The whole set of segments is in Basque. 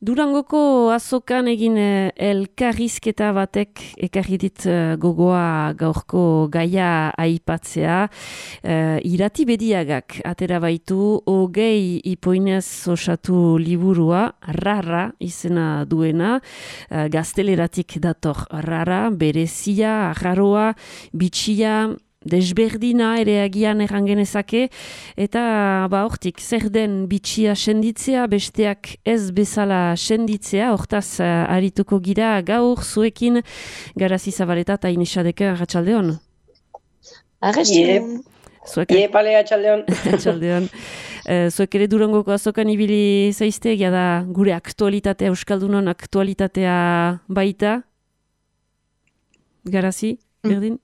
Durangoko azokan egin elkarrizketa batek ekarri dit gogoa gaurko gaia aipatzea. Irati Bediagak atera baitu 20 ipoinez osatu liburua, Rara izena duena, gazteleratik dator Rara, berezia, arraroa, bitxia, desberdina ere agian errangenezake, eta hortik, zer den bitxia senditzea, besteak ez bezala senditzea, hortaz arituko gira gaur zuekin, Garazi Zabaleta eta Ines Sadeka, arratsaldeon. Arratsaldeon. Pale, arratsaldeon. Arratsaldeon. Zuek ere Durangoko azokan ibili zaizte, egia da gure aktualitatea, Euskaldunon aktualitatea baita? Garazi, berdin?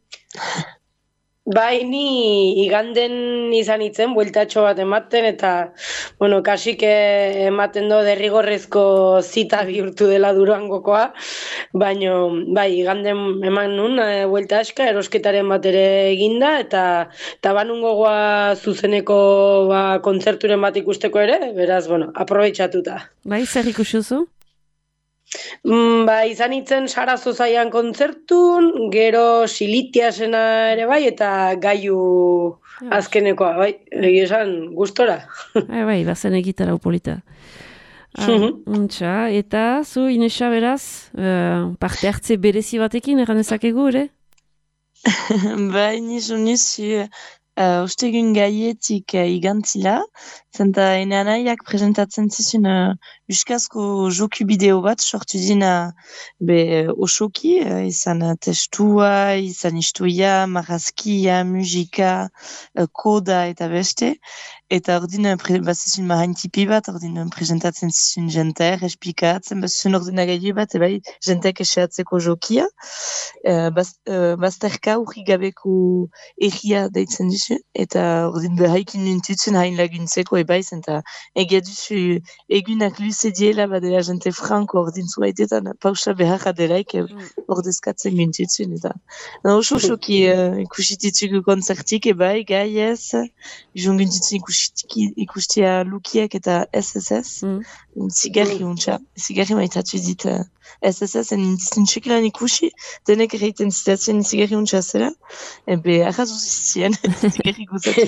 Bai, ni iganden izan itzen, bueltatxo bat ematen, eta, kasik ematen do derrigorrezko zita bihurtu dela Durangokoa, baina, bai, iganden eman nun, buelta aska, erosketaren bat ere eginda, eta banun gogoa zuzeneko kontzerturen bat ikusteko ere, beraz, aprobetxatuta. Bai, zer ikusi duzu? Izan itzen Sarazo Zaian kontzertun, gero Silitiasena ere bai, eta Gaiu azkenekoa, bai, esan gustora. Bai, bazen egitarau polita. Eta zu, Inesa, beraz, parte hartze berezi batekin, erran ezakegu, ere? Bai, nizu, ostegun gaietik igantzila, zenta ene anaiak presentatzen zizun euskazko joku bideo bat sortu dina osoki, izan testua, izan istoia, marazkia, musika, koda eta beste, eta ordin bazizun mahaintipi bat, ordin presentatzen zizun jenter, esplikatzen, bazizun ordina gaiu bat, bai, jentek eseatzeko jokia, bazterka urri gabeko erria deitzen duzu, eta ordin behaikin nintutzen hain laguntzeko ebaiz, eta egia duzu egunak luze diela badela jente franko ordin zuaitetan pausa beharra delaik ordezkatzen gintutzen, eta osoki ikusititugu konzertik ebai, gai ez, jungintutzen ikustia Lukiek eta SSS, zigarri maitatu dit SSS, nintzen txekilan ikusi, denek erreiten zitatzen zigarri untsa zela, arrazu zizien, zigarri guzatu.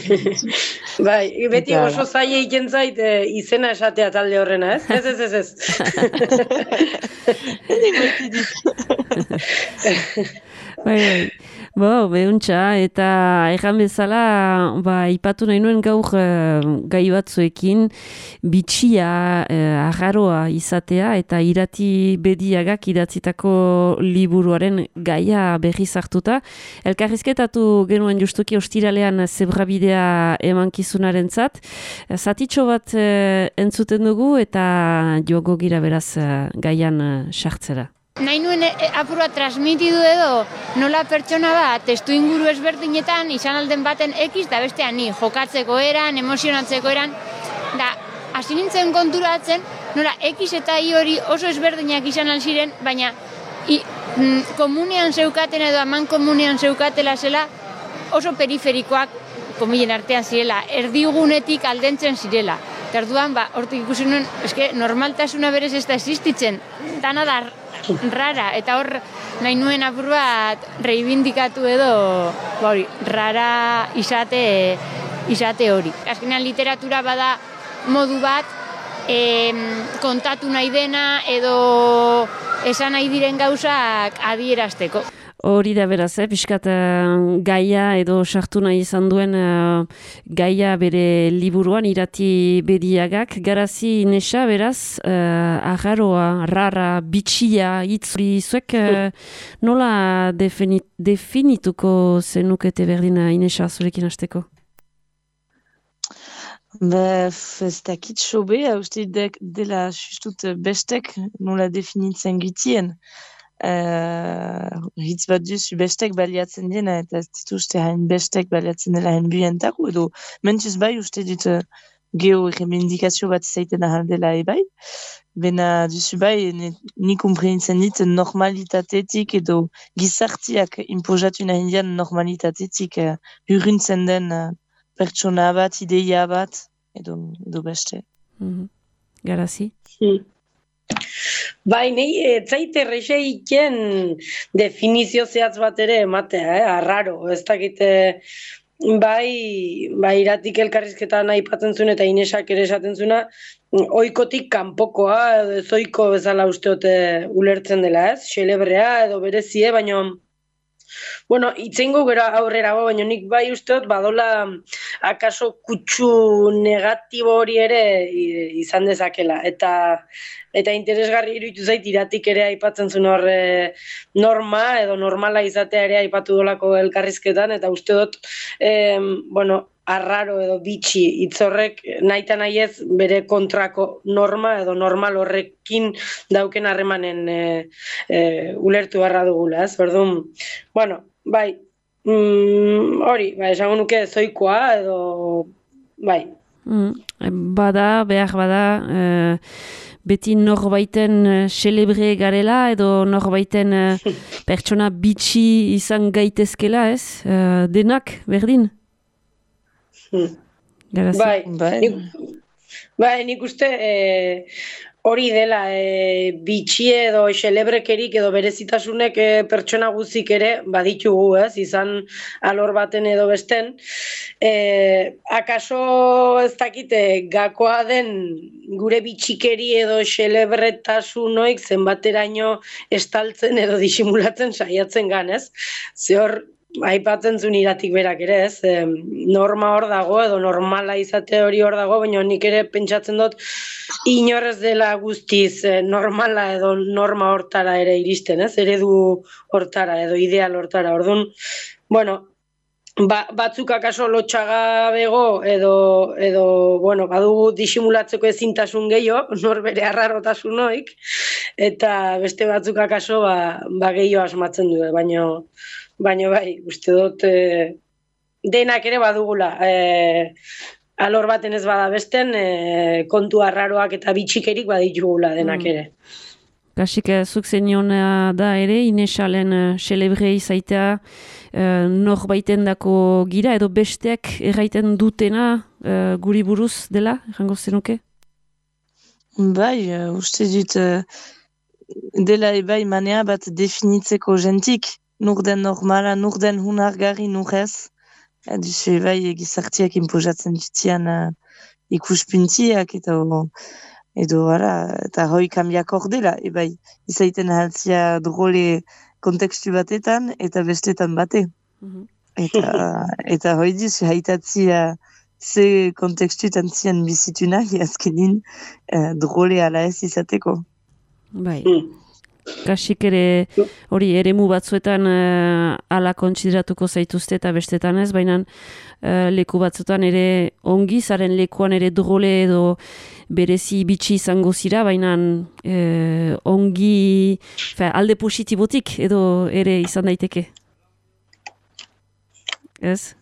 Bai, beti oso zaila iken zait izena esatea talde horrena, ez? Ez. Edik baiti dit. Bai. Behuntza, eta erran bezala, ipatu nahi nuen gaur gai batzuekin, bitxia, arraroa izatea, eta Irati Bediagak idatzitako liburuaren gaia berriz hartuta. Elkarrizketatu genuen justuki ostiralean zebrabidea emankizunaren zat. Zatitxo bat entzuten dugu, eta jogo gira beraz gaian sartzera. Nahi nuen apurua transmitidu edo nola pertsona bat testu inguru ezberdinetan izan alden baten X da bestean ni jokatzeko eran, emozionatzeko eran, da hasi nintzen konturatzen nola X eta Y hori oso ezberdinak izan alziren, baina komunean zeukaten edo aman komunean zeukatela zela oso periferikoak komilen artean zirela, erdigunetik aldentzen zirela. Eta orduan, hortik ikusi nuen, normaltasuna berez ez da existitzen, dana da rara, eta hor nahi nuen apur bat reibindikatu edo rara izate hori. Azkenean literatura bada modu bat kontatu nahi dena edo esan nahi diren gauzak adierazteko. Hori da beraz, pixkat gaia edo sartu nahi izan duen gaia bere liburuan Irati Bediagak. Garazi, Inesa, beraz, arraroa, rara, bitxia, itzuri, zuek nola definituko zenukete berdina, Inesa, zurekin hasteko? Ez dakit sobe, uste dela justut bestek nola definitzen gitien. Hitz bat duzu bestek baliatzen dena, eta ez dituzte hain bestek baliatzen dela hain buentako, edo mentuz bai uste dut geo-remendikazio bat zaiten ahaldela ebai, bena duzu bai ni komprenitzen dit normalitatetik edo gizartiak imposatu nahi dian normalitatetik hurruntzen den pertsona bat, ideia bat, edo beste. Garazi? Bai, nahi, etzaite errexeiken definizio zehatz bat ere ematea, arraro, ez dakite, bai iratik elkarrizketan aipatzen zuen eta Inesak ere esaten zuena, oikotik kanpokoa, edo ez oiko bezala usteote ulertzen dela, ez? Xelebrea edo berezie, baina bueno, itzengo gero aurrera, baina nik bai usteot badola akaso kutsu negatibo hori ere izan dezakela. Eta interesgarri iruditu zait iratik ere aipatzen zuen hor norma edo normala izatea ere aipatu dolako elkarrizketan, eta uste dut, bueno, arraro edo bitxi hitz horrek nahita nahiez bere kontrako norma edo normal horrekin dauken harremanen ulertu beharra dugula, ez? Orduan, bueno, bai, hori, esango nuke zoikoa edo, bai. Behar bada, beti norbaiten xelebre garela edo norbaiten pertsona bitxi izan gaitezkela, ez? Denak, berdin? Bai, nik uste hori dela bitxi edo xelebrekerik edo berezitasunek pertsona guzik ere baditugu, ez, izan alor baten edo besten. Akaso ez dakite gakoa den gure bitxikeri edo xelebretasun zenbateraino estaltzen edo disimulatzen saiatzen gan, ez? Zehor aipatzen zuen iratik berak ere, ez? Norma hor dago edo normala izate hori hor dago, baina nik ere pentsatzen dut inorrez dela guztiz normala edo norma hortara ere iristen, ez? Eredu hortara edo ideal hortara. Orduan, bueno, batzuk akaso lotxagabego edo bueno, badugu disimulatzeko ezintasun gehiago, nor bere arrarotasun hoik, eta beste batzuk akaso gehiago asmatzen du, baina bai, uste dut denak ere badugula, alor baten ez bada besten, kontu arraroak eta bitxikerik baditugula denak ere. Kasik, zuk zeniona da ere, Inesalen xelebre izaitea norbaiten dako gira, edo besteak erraiten dutena guri buruz dela, errango zenuke? Bai, uste dut dela ebai manea bat definitzeko jentik, nur den normala, nur den hunargarri, nur ez. Duzu ebai gizartiak imposatzen dutian ikuspuntiak edo eta hoi kambiak hor dela, ebai izaiten haltzia drole kontekstu batetan eta bestetan bate. Eta hoi duzu haitatzia ze kontekstuetan zian bizitu nahi azkenin drole ala ez izateko. Bai. Kasik ere hori eremu batzuetan ala kontsideratuko zaituzte eta bestetan ez, baina leku batzuetan ere ongi, zaren lekuan ere drole edo berezi bitxi izango zira, baina ongi alde positibotik edo ere izan daiteke. Ez?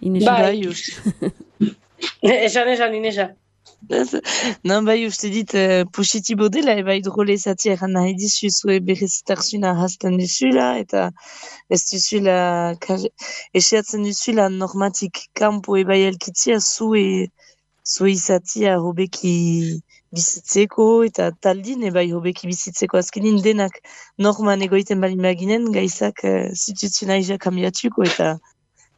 Inesa? Bai, esan Inesa. Non, bai, uste dit positibo dela, bai drole zati eran nahi dizu zue berezitarsuna hasten duzula, eta ez duzula esiatzen duzula normatik kampo ebai elkitzia zue izatia hobeki bizitzeko, eta taldin ebai hobeki bizitzeko azkenin denak norman egoiten bali maginen, gaizak zituzuna kambiatuko, eta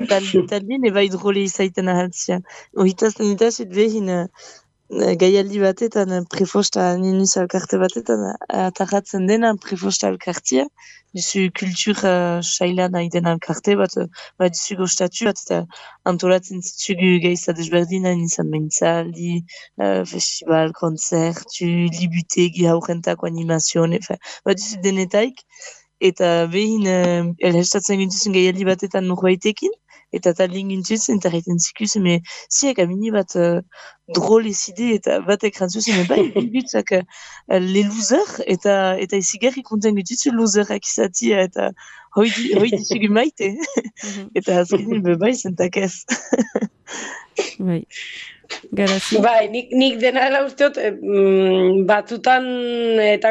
taldin ebai drole izaiten ahaltzia. Ohitazten ditazit behin gaialdi batetan, prefosta ninuz alkarte batetan, atarratzen dena prefosta alkartia, duzu kultur saila nahi den alkarte bat, duzu gostatu bat, eta antolatzen zitzugu gaiza desberdina, izan mentzaldi, festival, konzertu, libutegi haurentako animazioan, duzu denetaik, eta behin elhestatzen gintuzen gaialdi batetan norbaitekin, eta taldin gintuzen, eta reiten zikuzen, ziak amini bat drole zide, eta batek rantzuzen, bai, gutzak le loser, eta izigarri konten gututzu loserak izatia, eta hoi dizugu maite, eta azkenin bai zentak ez. Bai. Garazi. Bai, nik dena dela usteot, batzutan eta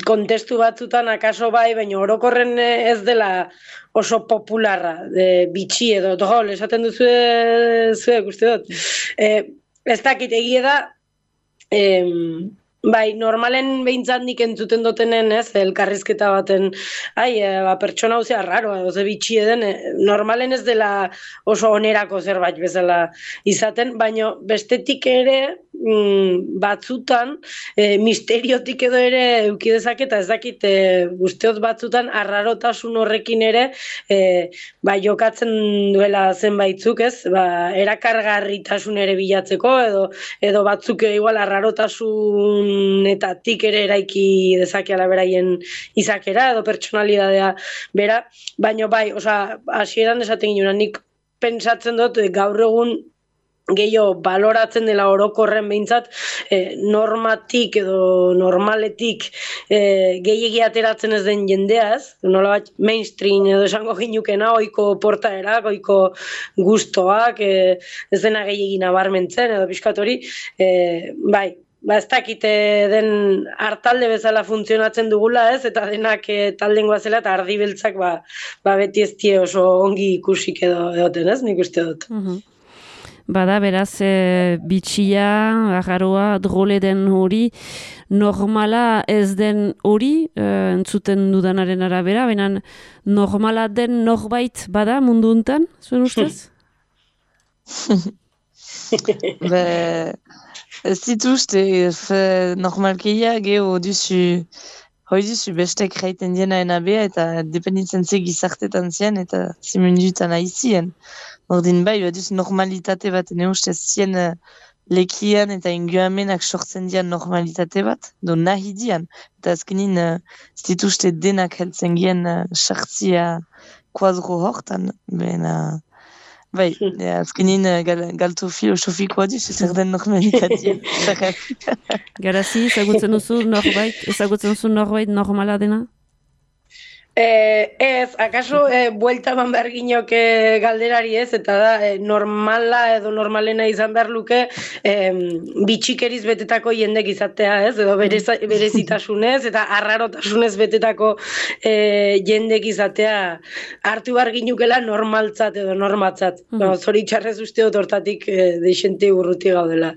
kontestu batzutan akaso bai, baina orokorren ez dela oso popularra, bitxi edo drol, esaten duzu zuek uste dut. Ez dakit egia da, Bai, normalen behintzat nik entzuten dutenen, ez, elkarrizketa baten, pertsona hau zea raro, edo ze bitxi eden, normalen ez dela oso onerako zerbait bezala izaten, baino bestetik ere batzutan, misteriotik edo ere eukidezak eta ez dakit, usteot batzutan arrarotasun horrekin ere, jokatzen duela zenbaitzuk, ez, erakargarritasun ere bilatzeko, edo batzuk igual arrarotasunetatik ere eraiki dezakeala beraien izakera edo pertsonalidadea bera, baino bai, hasieran esaten ginen, nik pentsatzen dut gaur egun gehiago baloratzen dela orokorren behintzat, normatik edo normaletik gehiegi ateratzen ez den jendea, ez? Nolabait mainstream edo esango ginukena, ohiko portaerak, ohiko gustoak, ez dena gehiegi nabarmentzen edo pixkat hori, bai, ez dakite den hartalde bezala funtzionatzen dugula, ez? Eta denak taldengoa zela eta ardi beltzak beti ez die oso ongi ikusik edoten, ez? Nik uste dut. Bada, beraz, bitxia, agarroa, drole den hori, normala ez den hori, entzuten dudanaren arabera, benen normala den norbait bada mundu untan, zuen ustez? Ez dituzte, normalkeia geho duzu, hoi duzu bestek jaiten diena enabea eta dependitzen ze gizartetan zian eta zimendutan aizien. Ordin bai, baduz normalitate bat, ne ustez zien lekian eta inguamenak sortzen dian normalitate bat, do nahi dian. Eta azkenin ez dituzte denak heltzen gien sartzia kuadro hortan, bai, azkenin galtu filosofikoa duz, zer den normalitatea. Garazi, ezagutzen duzu norbait normala dena? Ez, akaso buelta eman behar ginok galderari ez, eta da normala edo normalena izan behar luke bitxikeriz betetako jendek izatea ez, edo berezitasunez eta arrarotasunez betetako jendek izatea hartu behar ginukela normaltzat edo normatzat. Zoritxarrez uste dut hortatik deixente urruti gaudela.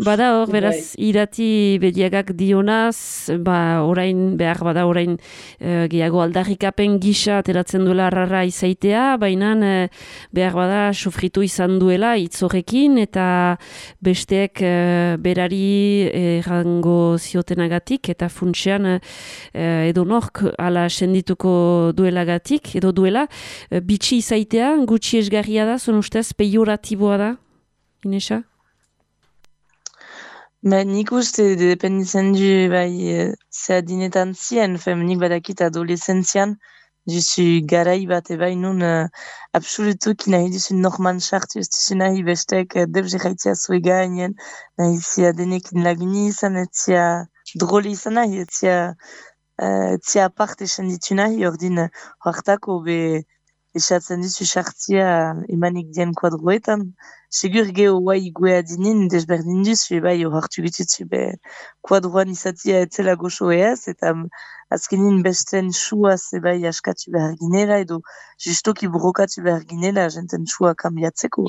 Bada hor, beraz, irati bediagak dionaz, orain behar bada orain gehiago aldarrikapen gisa ateratzen duela arrarra izaitea, baina behar bada sufritu izan duela hitzorekin eta besteek berari errango ziotenagatik eta funtsean edo nork ala sendituko duelagatik, edo duela bitxi izaitea, gutxi esgarria da, zon ustez pejoratiboa da, Inesa? Nik uste dependitzen du ze adinetan zien, nik badakit adolescentzian, duzu garai bat bai nun absolutuki nahi duzu norman sartu, ez duzu nahi bestek debze jaitzea zue gainen, nahi zia denekin laguni izan, etzia drole izan nahi, etzia aparte senditu nahi, ordin hartako esatzen duzu sartzia emanik dien kuadroetan, segur geho guai guea dinin, desberdin duzu, hartu gitutzu, kuadroan izatia etzela goxo eaz, eta azkenin besten suaz askatu behar ginela, edo justoki burokatu behar ginela, jenten sua kambiatzeko,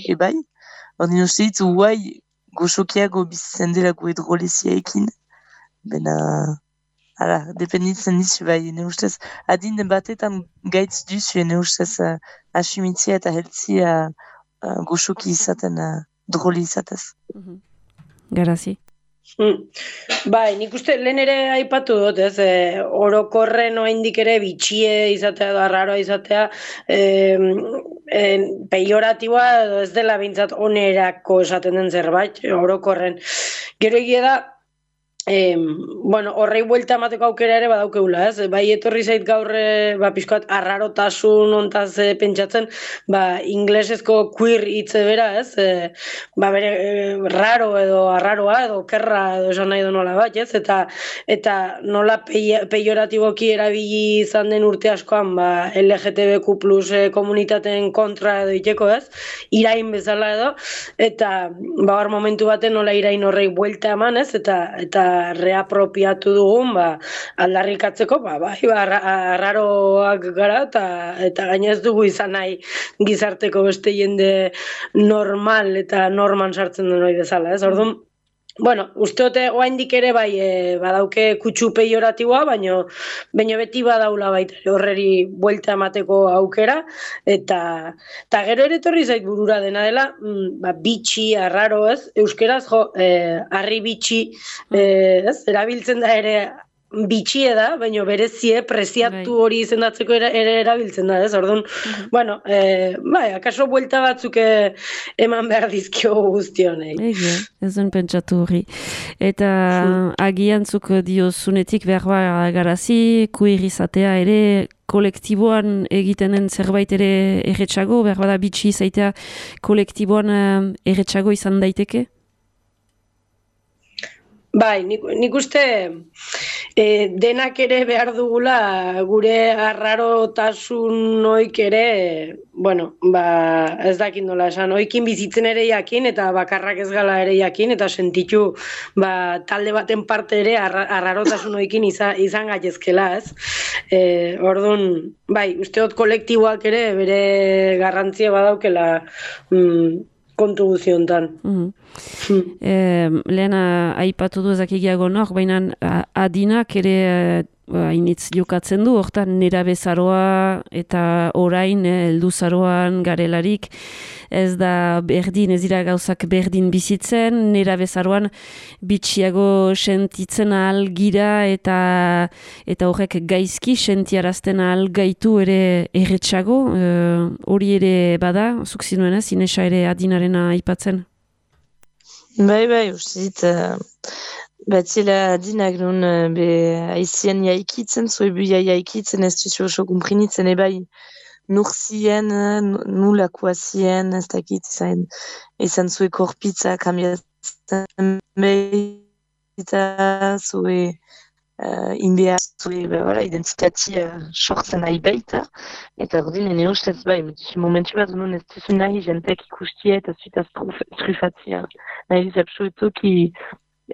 ordin uste ditu guai goxokiago bizitzen dela gu edrolezia ekin, dependitzen dizu, ne ustez, adin batetan gaitz duzu, ne ustez, asumitzia eta heltzia goxoki izaten, droli izatez. Garazi. Bai, nik uste lehen ere aipatu dut, ez, orokorren oraindik ere bitxie izatea edo arraroa izatea, peioratiboa edo ez dela behintzat onerako esaten den zerbait, orokorren. Gero egia da, horrei buelta emateko aukera ere badaukeula, ez? Bai, etorri zait gaur pixkoat arrarotasun ontaz pentsatzen, inglesezko queer hitze bera, ez? Bere raro edo arraroa edo kerra edo esan nahi nola bat, ez? Eta nola peioratiboki erabili izan den urte askoan, LGTBQ plus komunitateen kontra edo iteko, ez? Irain bezala edo, eta hor momentu baten nola irain horrei buelta eman, ez? Eta reapropiatu dugun, aldarrikatzeko, arraroak gara, eta gaina ez dugu izan nahi gizarteko beste jende normal eta norman sartzen den hori bezala, ez? Orduan, Bueno, uste dute oraindik ere bai badauke kutsu peioratiboa, baino beti badaula baita horreri buelta emateko aukera eta gero ere etorri zait burura dena dela, bitxi, arraro, ez? Euskeraz harri bitxi, ez? Erabiltzen da ere bitxie da, baina berezie preziatu hori izendatzeko ere erabiltzen da, ez? Orduan, bueno, akaso buelta batzuk eman behar dizkio guzti honei. Ez duen pentsatu hori. Eta agiantzuk diozunetik behar garazi, kuir izatea ere, kolektiboan egiten den zerbait ere erretxago, behar bada bitxi izaitea kolektiboan erretxago izan daiteke? Bai, nik uste denak ere behar dugula gure arrarotasun oik ere, bueno, ez dakit nola esan, oikin bizitzen ere jakin eta bakarrak ez gala ere jakin eta sentitu talde baten parte ere arrarotasun oikin izan gaitezkela, ez? Orduan, bai, usteot kolektiboak ere bere garrantzia badaukela kontu guziontan. Lehen aipatu du ezakigiago nor, baina adinak ere hainitz jokatzen du, hortan nerabezaroa eta orain helduzaroan garelarik ez da berdin, ez dira gauzak berdin bizitzen, nerabezaroan bitxiago sentitzen ahal gira eta horrek gaizki sentiarazten ahal gaitu ere erretxago, hori ere bada, zuk zinuen ez, Inesa ere adinarena aipatzen? Bai, uste dit, batzela adinak nun haizien jaikitzen, zoebu jaikitzen, ez duzu oso kumprinitzen, bai nur zien, nulakoa zien, ez dakit, izan zue korpitza kambiatzen behita, zue inbea, zue identitatia sortzen nahi baita, eta ordin ene ustez bai, momentu bat nun ez duzu nahi jentek ikustia eta zuitaz trufatzia. Nahi zapsuetuki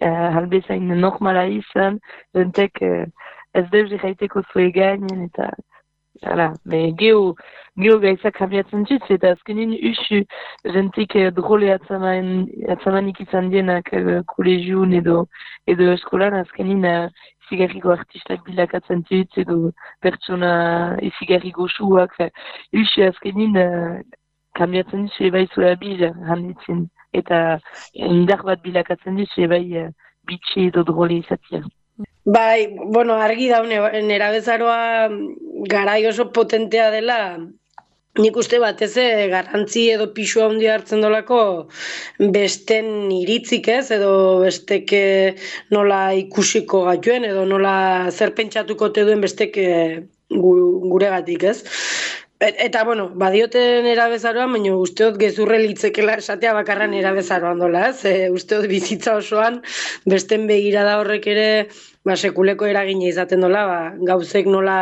halbezain normala izan, jentek ez deus jaiteko zue gainen eta geo gaizak kambiatzen dut, eta azkenin usu jentik drole atzamanik izan dienak kolegiun edo eskolan, azkenin izigarriko artistak bilakatzen dut, edo pertsona izigarriko suak, usu azkenin kambiatzen dut, ebai zua bil handitzen, eta indar bat bilakatzen dut, ebai bitxe edo drole izatia. Bai, bueno, argi daune, nerabezaroa garai oso potentea dela, nik uste batez garrantzi edo pixua handia hartzen dolako besten iritzik ez, edo bestek nola ikusiko gatuen, edo nola zer pentsatuko te duen bestek guregatik ez. Eta, bueno, badioten erabezaroan, baina usteot gezurre litzekela esatea bakarran erabezaroan dola, ez? Usteot bizitza osoan, besten begirada horrek ere sekuleko eragina izaten dola, gauzek nola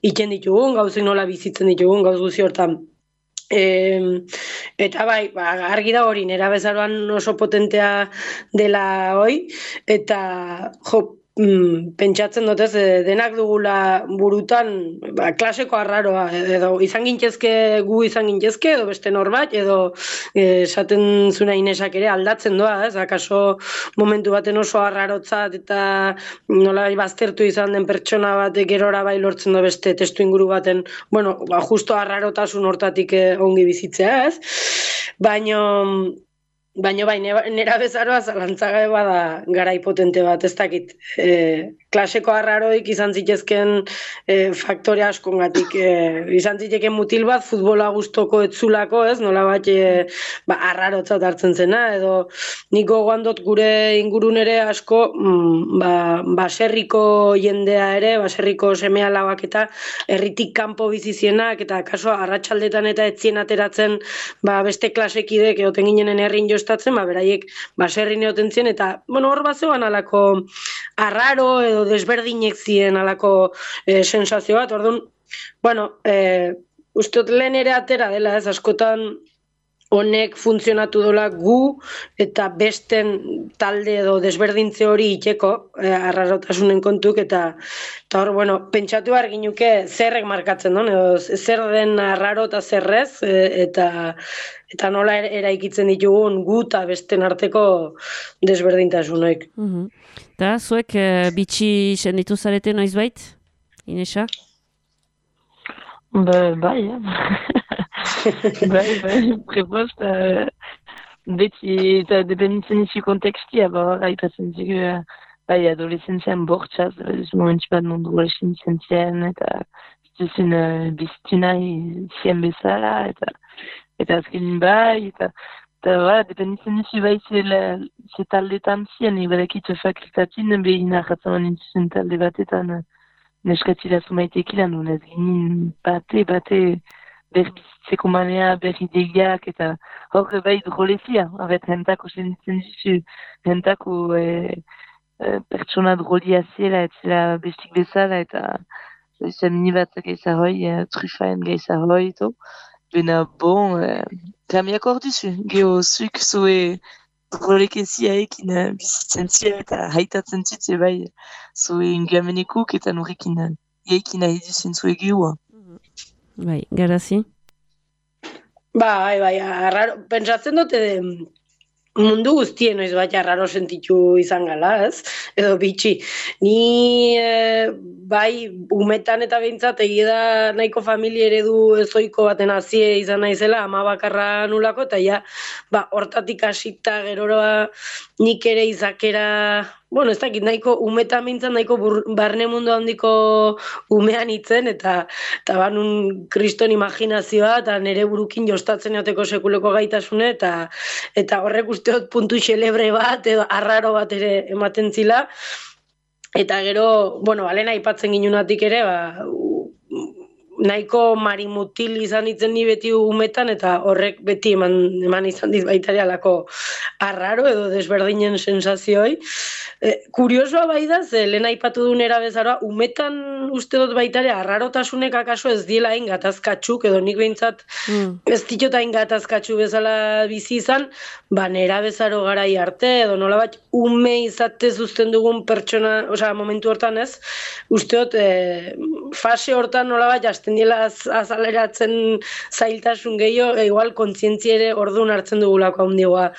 itzen ditugun, gauzek nola bizitzen ditugun, gauz guzi hortan. Eta bai, argi da hori, erabezaroan oso potentea dela hoi, eta pentsatzen dut ez, denak dugula burutan klaseko arraroa, edo izan gintezke gu izan gintezke, edo beste norbait, edo esaten zuna Inesak ere aldatzen doa, ez, akaso momentu baten oso arrarotzat eta nola baztertu izan den pertsona batek gerora bai lortzen da beste testu inguru baten, bueno, justo arrarotasun hortatik ongi bizitzea, ez, Baina bai, nerabezaroa zalantzagabe bada garai potente bat, ez dakit. Klaseko arraroik izan zitezken faktore askongatik. Izan ziteken mutil bat, futbola gustoko etzulako, ez? Nola bat arrarotzat hartzen zena, edo niko goandot gure ingurunere asko baserriko jendea ere, baserriko semea labak eta herritik kanpo bizizienak, eta kaso arratsaldetan eta etzien ateratzen beste klasekidek egoten ginenen herrin jostatzen, beraiek baserrin egoten zien, eta hor bazeoan alako arraro edo desberdinek ziren alako sensazio bat, orduan, usteot lehen ere atera dela, ez askotan honek funtzionatu dola gu eta besten talde edo desberdintze hori iteko arrarotasunen kontuk eta hor, bueno, pentsatu behar ginuke zerrek markatzen duen, edo zer den arraro eta zerrez eta nola eraikitzen ditugun gu eta besten arteko desberdintasunoik. Eta zuek bitxi senditu zarete noizbait, Inesa? Bai, bai, prepost, beti eta dependitzen izi kontekstia, aipatzen zigu, bai, adolescentzian bortxaz, momentu bat mundu adolescentzen zien, eta zizun biztina zien bezala, eta azkenin bai, eta dependitzen izi bai ze taldetan zien, ibadakit fakultatin, behin arratzen nintzen talde batetan, neskatzila zumaitekila, nunez ginen bate berbizitzeko manea, berridegiak, eta hor bai drolezia, abet hentako senditzen dizu, hentako pertsona drolia zela, etzela bestik bezala, eta izan nibat gaizarroi, trufaen gaizarroi, eto. Bena bon, kamiak hor duzu, geho zuk zue drolekezia ekin bizitzen zia eta haitatzen zutze bai zue ingamenekuk eta norrekin ekin nahi duzun zue gehoa. Bai, Garazi? Bai, arraro, pentsatzen dute mundu guztien noiz bat arraro sentitu izan gala, ez? Edo bitxi. Ni bai umetan eta behintzat egia da nahiko familia eredu ezoiko baten hazie izan naizela, ama bakarra nulako, eta ja, hortatik hasita geroroa nik ere izakera, bueno, ez dakit, nahiko umetan bintzat, nahiko barne mundu handiko umean itzen, eta banun kriston imaginazioa, eta nire burukin jostatzen joteko sekuleko gaitasune, eta horrek usteot puntu xelebre bat, edo arraro bat ere ematen zila, eta gero, bueno, alena aipatzen ginunatik ere, nahiko marimutil izan itzen ni beti umetan, eta horrek beti eman izan dit baitare alako arraro edo desberdinen sensazioi. Kuriosoa bai da, ze lehen aipatu duen erabezaroa, umetan uste dut baitare arrarotasunek akaso ez diela hain gatazkatxuk, edo nik behintzat ez ditut hain gatazkatxu bezala bizi izan, nera bezaro garai arte, edo nola bat ume izatez uzten dugun pertsona, osea, momentu hortan ez, uste dut fase hortan nola bat jasten dela azaleratzen zailtasun gehiago, igual kontzientzia ere orduan hartzen dugulako handigoa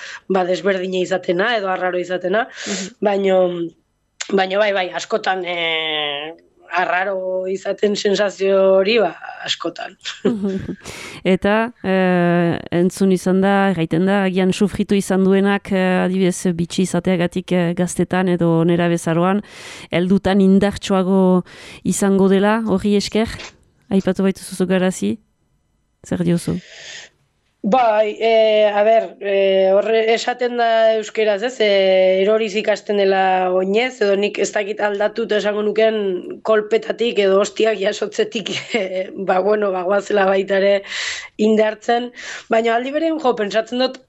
desberdina izatena, edo arraro izatena, baino bai, askotan arraro izaten sensazio hori, askotan. Eta entzun izan da, gaiten da, agian sufritu izan duenak, adibidez, bitxi izateagatik gaztetan edo nera bezaroan, heldutan indartsuago izango dela, hori esker? Aipatu baitu zuzu Garazi? Zer diozu? Bai, horre esaten da euskeraz, ez? Eroriz ikasten dela oinez, edo nik ez dakit aldatu eta esango nukean kolpetatik edo hostiak jasotzetik, guazela baita ere indartzen. Baina aldi berean, pentsatzen dut,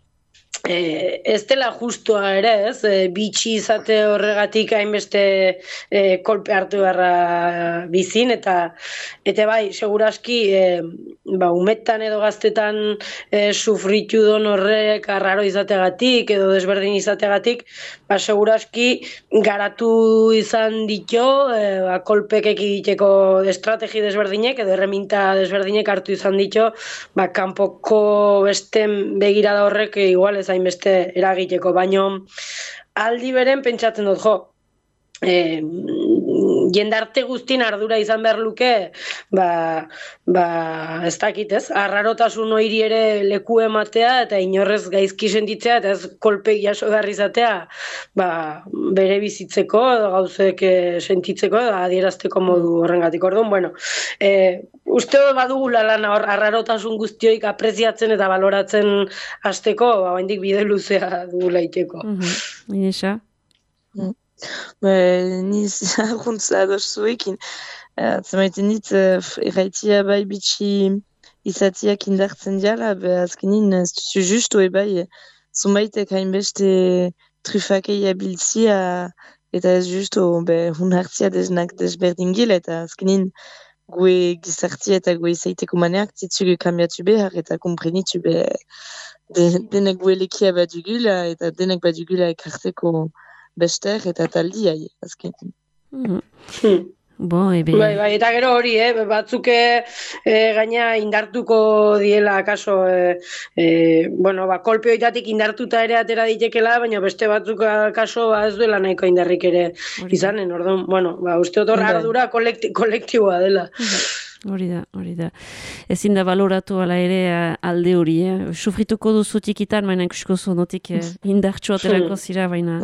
ez dela justua ere, ez? Bitxi izate horregatik hainbeste kolpe hartu beharra bizin, eta bai, seguraski, umetan edo gaztetan sufritu don horrek arraro izateagatik edo desberdin izateagatik, seguraski garatu izan ditio, kolpek egiteko estrategi desberdinek edo erreminta desberdinek hartu izan ditio, kanpoko besten begirada horrek igual ez hainbeste eragiteko, baino aldi beren pentsatzen dut, jendarte guztin ardura izan behar luke, ez dakit ez, arrarotasun hori ere leku ematea eta inorrez gaizki sentitzea eta ez kolpe jaso behar izatea, bere bizitzeko edo gauzek sentitzeko edo adierazteko modu horrengatik. Orduan, uste badugula lan arrarotasun guztioik apreziatzen eta baloratzen hasteko, oraindik bide luzea dugula iteko. Inesa? Ni zaguntza ados zuekin. Zemaiten dit, erraitia bai bitxi izatiak indartzen diala, azkenin ez duzu justu bai, zumaitek hainbeste trufakei abiltzia, eta ez justu hun hartzia desnak desberdin gila, eta azkenin gue gizartia eta gue izaiteko maneak titzugu kambiatu behar eta komprenitu behar denek gue lekia badugula eta denek badugula ekarteko bester eta taldiai, azken. Bai, eta gero hori, batzuk gaina indartuko diela, akaso, kolpeoitatik indartuta ere atera ditekela, baina beste batzuk akaso ez duela nahiko indarrik ere izanen, orduan, uste dut ardura kolektiboa dela. Hori da. Ezin da baloratu ala ere alde hori, Sufrituko duzu tikitan, baina ikusko zonotik indartxo aterako zira, baina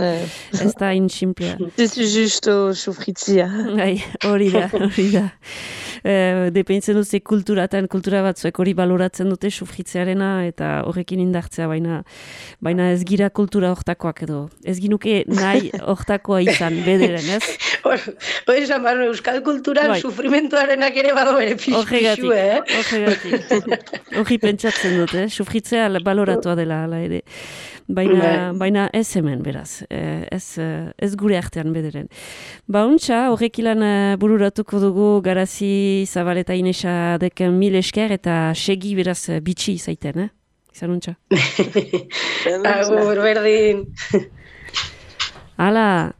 ez da insimplea. Zizu justo sufritzia. Hori da. Depeintzen dut kultura batzuek hori baloratzen dute sufritzearena eta horrekin indartzea, baina ez gira kultura hortakoak edo. Ez ginuke nahi hortakoa izan, bederen, ez? Hori esan barro, euskal kulturan sufrimentuarenak ere bado bere pixu, Hori pentsatzen dut, sufritzea baloratua dela ala ere. Baina ez hemen, beraz. Ez gure artean bederen. Untxa, horrekilan bururatuko dugu Garazi Zabaleta Inesa deken 1000 esker eta segi beraz bitxi zaiten, Izan untxa. Agur, berdin. Hala.